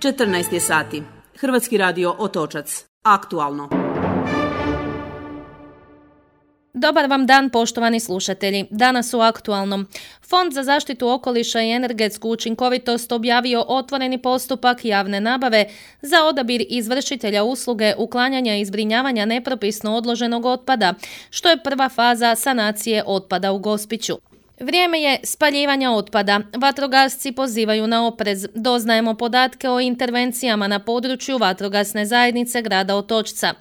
14 je sati. Hrvatski radio Otočac. Aktualno. Dobar vam dan, poštovani slušatelji. Danas u Aktualnom. Fond za zaštitu okoliša i energetsku učinkovitost objavio otvoreni postupak javne nabave za odabir izvršitelja usluge uklanjanja i zbrinjavanja nepropisno odloženog otpada, što je prva faza sanacije otpada u Gospiću. Vrijeme je spaljivanja otpada. Vatrogasci pozivaju na oprez. Doznajemo podatke o intervencijama na području vatrogasne zajednice grada Otočca.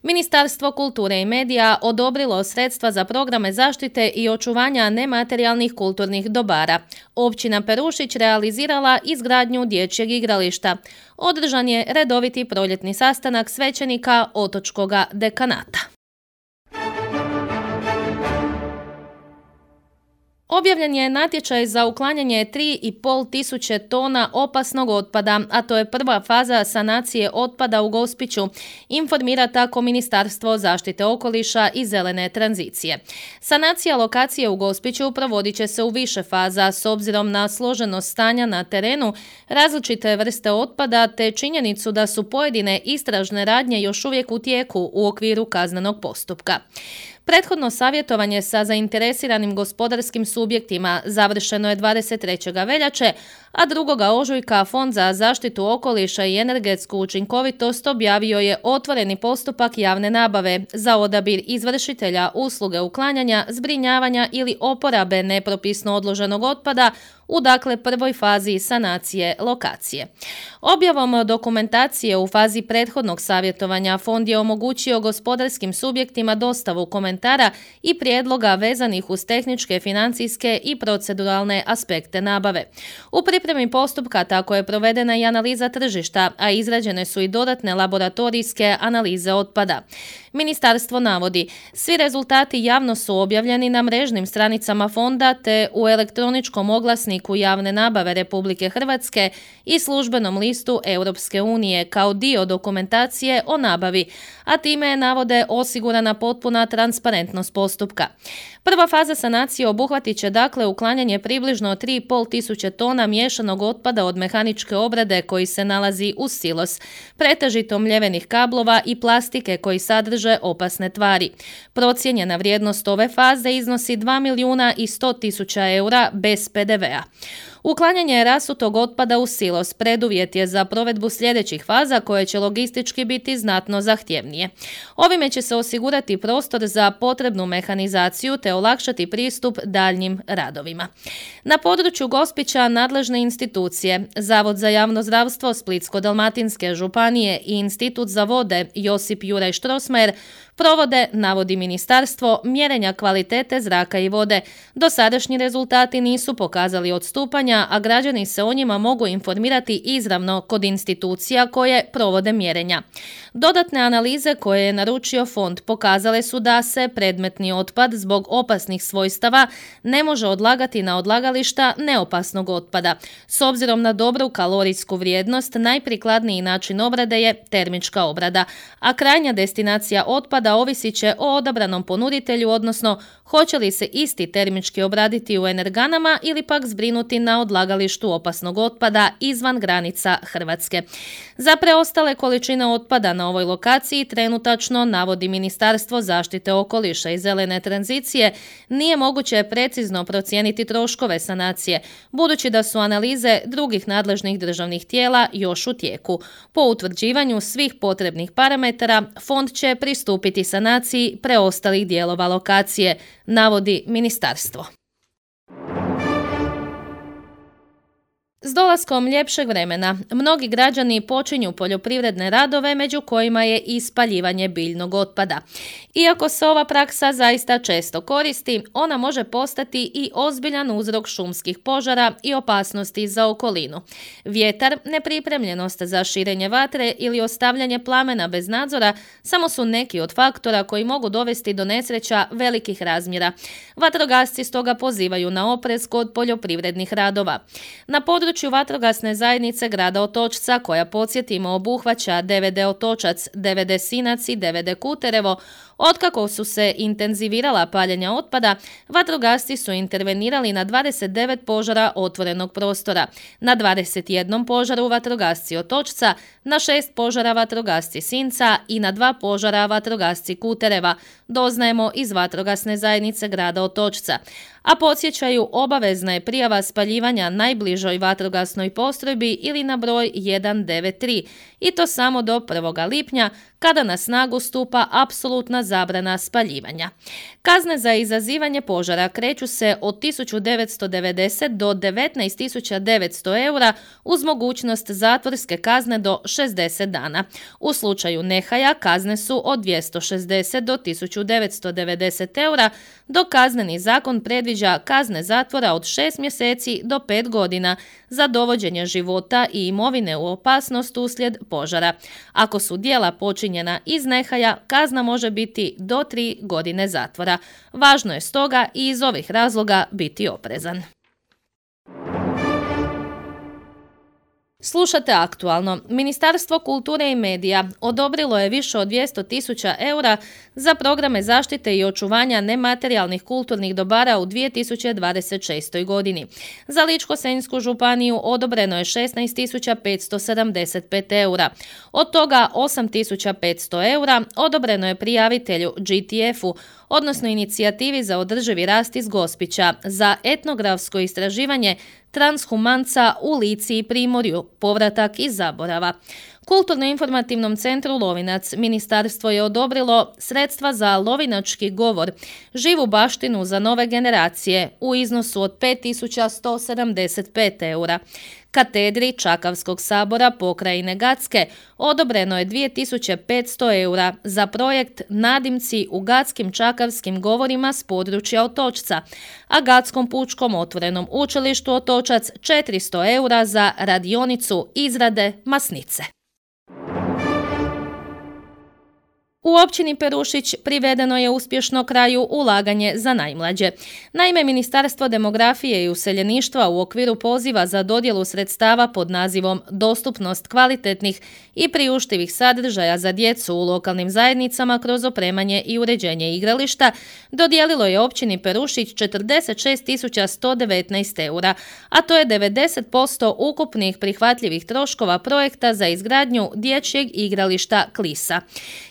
Ministarstvo kulture i medija odobrilo sredstva za programe zaštite i očuvanja nematerijalnih kulturnih dobara. Općina Perušić realizirala izgradnju dječjeg igrališta. Održan je redoviti proljetni sastanak svećenika Otočkoga dekanata. Objavljen je natječaj za uklanjanje 3,5 tisuće tona opasnog otpada, a to je prva faza sanacije otpada u Gospiću, informira tako Ministarstvo zaštite okoliša i zelene tranzicije. Sanacija lokacije u Gospiću provodit će se u više faza s obzirom na složenost stanja na terenu, različite vrste otpada te činjenicu da su pojedine istražne radnje još uvijek u tijeku u okviru kaznenog postupka. Prethodno savjetovanje sa zainteresiranim gospodarskim subjektima završeno je 23. veljače, a 2. ožujka Fond za zaštitu okoliša i energetsku učinkovitost objavio je otvoreni postupak javne nabave za odabir izvršitelja usluge uklanjanja, zbrinjavanja ili oporabe nepropisno odloženog otpada u prvoj fazi sanacije lokacije. Objavom dokumentacije u fazi prethodnog savjetovanja Fond je omogućio gospodarskim subjektima dostavu komentara i prijedloga vezanih uz tehničke, financijske i proceduralne aspekte nabave. U pripremi postupka tako je provedena i analiza tržišta, a izrađene su i dodatne laboratorijske analize otpada. Ministarstvo navodi, svi rezultati javno su objavljeni na mrežnim stranicama fonda te u elektroničkom oglasniku javne nabave Republike Hrvatske i službenom listu Europske unije kao dio dokumentacije o nabavi, a time navode osigurana potpuna transparentnost postupka. Prva faza sanacije obuhvatit će uklanjanje približno 3,5 tisuće tona miješanog otpada od mehaničke obrade koji se nalazi uz silos, pretežito mljevenih kablova i plastike koji sadrže opasne tvari. Procijenjena vrijednost ove faze iznosi 2.100.000 eura bez PDV-a. Uklanjanje rasutog otpada u silos preduvjet je za provedbu sljedećih faza koje će logistički biti znatno zahtjevnije. Ovime će se osigurati prostor za potrebnu mehanizaciju te olakšati pristup daljnjim radovima. Na području Gospića nadležne institucije, Zavod za javno zdravstvo Splitsko-dalmatinske županije i Institut za vode Josip Juraj Strossmayer provode, navodi ministarstvo, mjerenja kvalitete zraka i vode. Dosadašnji rezultati nisu pokazali odstupanja, a građani se o njima mogu informirati izravno kod institucija koje provode mjerenja. Dodatne analize koje je naručio fond pokazale su da se predmetni otpad zbog opasnih svojstava ne može odlagati na odlagališta neopasnog otpada. S obzirom na dobru kalorijsku vrijednost, najprikladniji način obrade je termička obrada, a krajnja destinacija otpada ovisit će o odabranom ponuditelju, odnosno hoće li se isti termički obraditi u energanama ili pak zbrinuti na odlagalištu opasnog otpada izvan granica Hrvatske. Za preostale količine otpada na ovoj lokaciji trenutačno, navodi Ministarstvo zaštite okoliša i zelene tranzicije, nije moguće precizno procijeniti troškove sanacije, budući da su analize drugih nadležnih državnih tijela još u tijeku. Po utvrđivanju svih potrebnih parametara, fond će pristupiti sanaciji preostalih dijelova lokacije, navodi ministarstvo. S dolaskom ljepšeg vremena, mnogi građani počinju poljoprivredne radove, među kojima je i spaljivanje biljnog otpada. Iako se ova praksa zaista često koristi, ona može postati i ozbiljan uzrok šumskih požara i opasnosti za okolinu. Vjetar, nepripremljenost za širenje vatre ili ostavljanje plamena bez nadzora samo su neki od faktora koji mogu dovesti do nesreća velikih razmjera. Vatrogasci stoga pozivaju na oprez kod poljoprivrednih radova. Na području vatrogasne zajednice grada Otočca, koja, podsjetimo, obuhvaća DVD Otočac, DVD Sinac i DVD Kuterevo, Otkako su se intenzivirala paljenja otpada, vatrogasci su intervenirali na 29 požara otvorenog prostora, na 21 požaru vatrogasci Otočca, na 6 požara vatrogasci Sinca i na 2 požara vatrogasci Kutereva, doznajemo iz vatrogasne zajednice grada Otočca. A podsjećaju, obavezna je prijava spaljivanja najbližoj vatrogasnoj postrojbi ili na broj 193 i to samo do 1. lipnja kada na snagu stupa apsolutna zabrana spaljivanja. Kazne za izazivanje požara kreću se od 1990 do 19.900 eura uz mogućnost zatvorske kazne do 60 dana. U slučaju nehaja kazne su od 260 do 1990 eura, dok kazneni zakon predviđa kazne zatvora od 6 mjeseci do 5 godina za dovođenje života i imovine u opasnost uslijed požara. Ako su djela počinjena iz nehaja, kazna može biti do 3 godine zatvora. Važno je stoga i iz ovih razloga biti oprezan. Slušate Aktualno. Ministarstvo kulture i medija odobrilo je više od 200.000 eura za programe zaštite i očuvanja nematerijalnih kulturnih dobara u 2026. godini. Za Ličko-senjsku županiju odobreno je 16.575 eura. Od toga 8.500 eura odobreno je prijavitelju GTF-u, odnosno inicijativi za održivi rast iz Gospića, za etnografsko istraživanje transhumanca u Lici i Primorju, povratak iz zaborava. Kulturno-informativnom centru Lovinac ministarstvo je odobrilo sredstva za lovinački govor, živu baštinu za nove generacije u iznosu od 5.175 eura. Katedri Čakavskog sabora pokrajine Gacke odobreno je 2.500 eura za projekt Nadimci u gatskim čakavskim govorima s područja Otočca, a Gatskom pučkom otvorenom učilištu Otočac 400 eura za radionicu izrade masnice. U općini Perušić privedeno je uspješno kraju ulaganje za najmlađe. Naime, Ministarstvo demografije i useljeništva u okviru poziva za dodjelu sredstava pod nazivom Dostupnost kvalitetnih i priuštivih sadržaja za djecu u lokalnim zajednicama kroz opremanje i uređenje igrališta dodijelilo je općini Perušić 46.119 eura, a to je 90% ukupnih prihvatljivih troškova projekta za izgradnju dječjeg igrališta Klisa.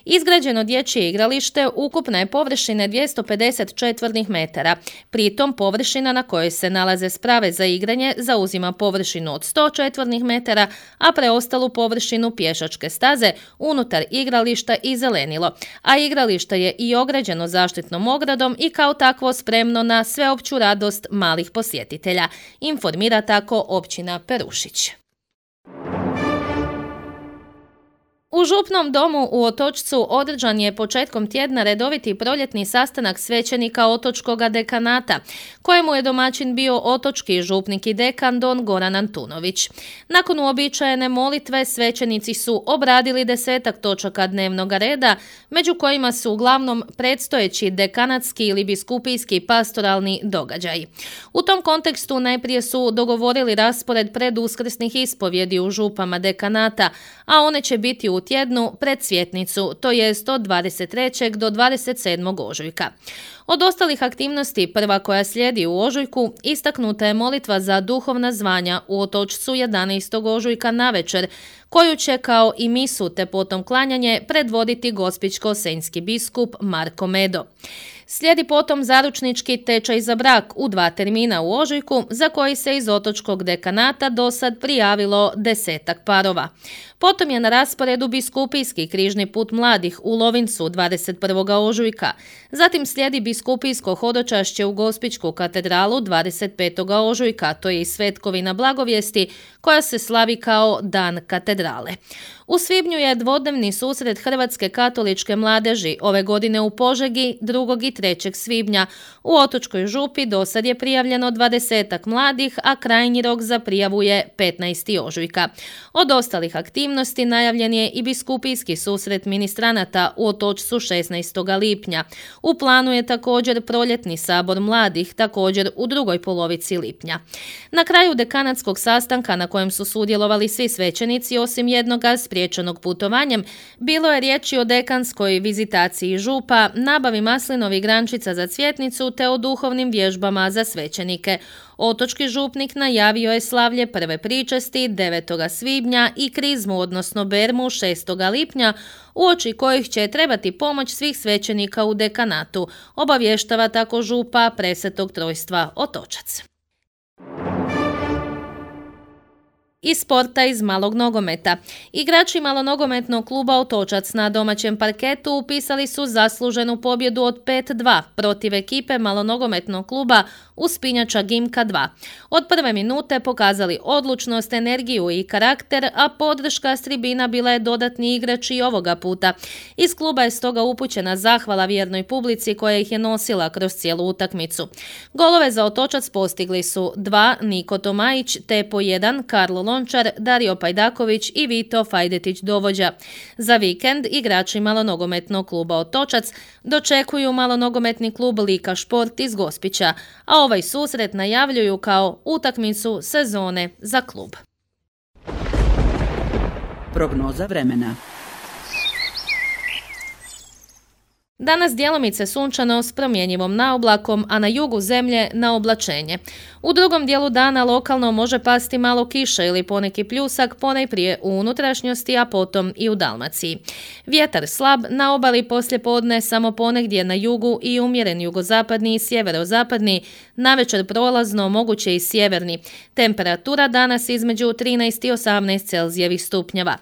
Izgrađeno dječje igralište ukupne je površine 250 četvornih metara. Pritom površina na kojoj se nalaze sprave za igranje zauzima površinu od 100 četvornih metara, a preostalu površinu pješačke staze unutar igrališta i zelenilo. A igralište je i ograđeno zaštitnom ogradom i kao takvo spremno na sveopću radost malih posjetitelja, informira tako općina Perušić. U Župnom domu u Otočcu održan je početkom tjedna redoviti proljetni sastanak svećenika Otočkoga dekanata, kojemu je domaćin bio otočki župnik i dekan don Goran Antunović. Nakon uobičajene molitve svećenici su obradili 10 točaka dnevnog reda, među kojima su uglavnom predstojeći dekanatski ili biskupijski pastoralni događaji. U tom kontekstu najprije su dogovorili raspored preduskrsnih ispovjedi u župama dekanata, a one će biti u tjednu pred Svjetnicu, to jest od 23. do 27. ožujka. Od ostalih aktivnosti, prva koja slijedi u ožujku, istaknuta je molitva za duhovna zvanja u Otočcu 11. ožujka navečer, koju će kao i misu te potom klanjanje predvoditi gospićko-senjski biskup Marko Medo. Slijedi potom zaručnički tečaj za brak u 2 termina u ožujku, za koji se iz Otočkog dekanata do sad prijavilo 10 parova. Potom je na rasporedu biskupijski križni put mladih u Lovincu 21. ožujka. Zatim slijedi biskupijsko hodočašće u Gospićku katedralu 25. ožujka, to je i svetkovina blagovijesti koja se slavi kao Dan katedrale. U svibnju je dvodnevni susret Hrvatske katoličke mladeži, ove godine u Požegi 2. i 3. svibnja. U Otočkoj župi dosad je prijavljeno 20 mladih, a krajnji rok za prijavu je 15. ožujka. Od ostalih aktivnosti najavljen je i biskupijski susret ministranata u Otočcu 16. lipnja. U planu je također proljetni sabor mladih, također u drugoj polovici lipnja. Na kraju dekanatskog sastanka na kojem su sudjelovali svi svećenici osim jednoga spriječenog putovanjem, bilo je riječi o dekanskoj vizitaciji župa, nabavi maslinovih grančica za cvjetnicu te o duhovnim vježbama za svećenike. Otočki župnik najavio je slavlje prve pričesti 9. svibnja i krizmu, odnosno bermu 6. lipnja, uoči kojih će trebati pomoć svih svećenika u dekanatu, obavještava tako župa Presvetog Trojstva Otočac. Iz sporta iz malog nogometa. Igrači malonogometnog kluba Otočac na domaćem parketu upisali su zasluženu pobjedu od 5-2 protiv ekipe malonogometnog kluba Uspinjača Gimka 2. Od prve minute pokazali odlučnost, energiju i karakter, a podrška s tribina bila je dodatni igrač i ovoga puta. Iz kluba je stoga upućena zahvala vjernoj publici koja ih je nosila kroz cijelu utakmicu. Golove za Otočac postigli su 2 Niko Tomajić te po 1 Karlo Lončar, Dario Pajdaković i Vito Fajdetić Dovođa. Za vikend igrači malonogometnog kluba Otočac dočekuju malonogometni klub Lika Šport iz Gospića, a ovaj susret najavljuju kao utakmicu sezone za klub. Prognoza vremena. Danas djelomice sunčano s promjenjivom naoblakom, a na jugu zemlje na oblačenje. U drugom dijelu dana lokalno može pasti malo kiše ili poneki pljusak, ponajprije u unutrašnjosti, a potom i u Dalmaciji. Vjetar slab, na obali poslijepodne samo ponegdje na jugu i umjeren jugozapadni i sjeverozapadni, navečer prolazno moguće i sjeverni. Temperatura danas između 13 i 18 Celzijevih stupnjeva.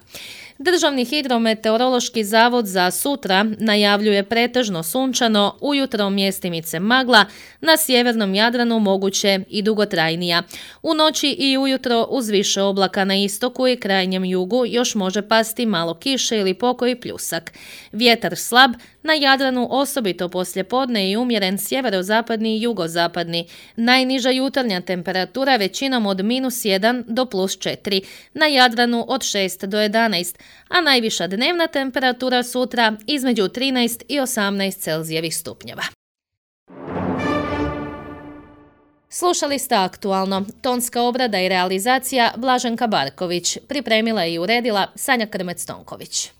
Državni hidrometeorološki zavod za sutra najavljuje pretežno sunčano, ujutro mjestimice magla, na sjevernom Jadranu moguće i dugotrajnija. U noći i ujutro uz više oblaka na istoku i krajnjem jugu još može pasti malo kiše ili pokoji pljusak. Vjetar slab, na Jadranu osobito poslijepodne i umjeren sjeverozapadni i jugozapadni. Najniža jutarnja temperatura većinom od -1 do +4, na Jadranu od 6 do 11, a najviša dnevna temperatura sutra između 13 i 18 Celzijevih stupnjeva. Slušali ste Aktualno. Tonska obrada i realizacija Blaženka Barković. Pripremila i uredila Sanja Krmec-Tonković.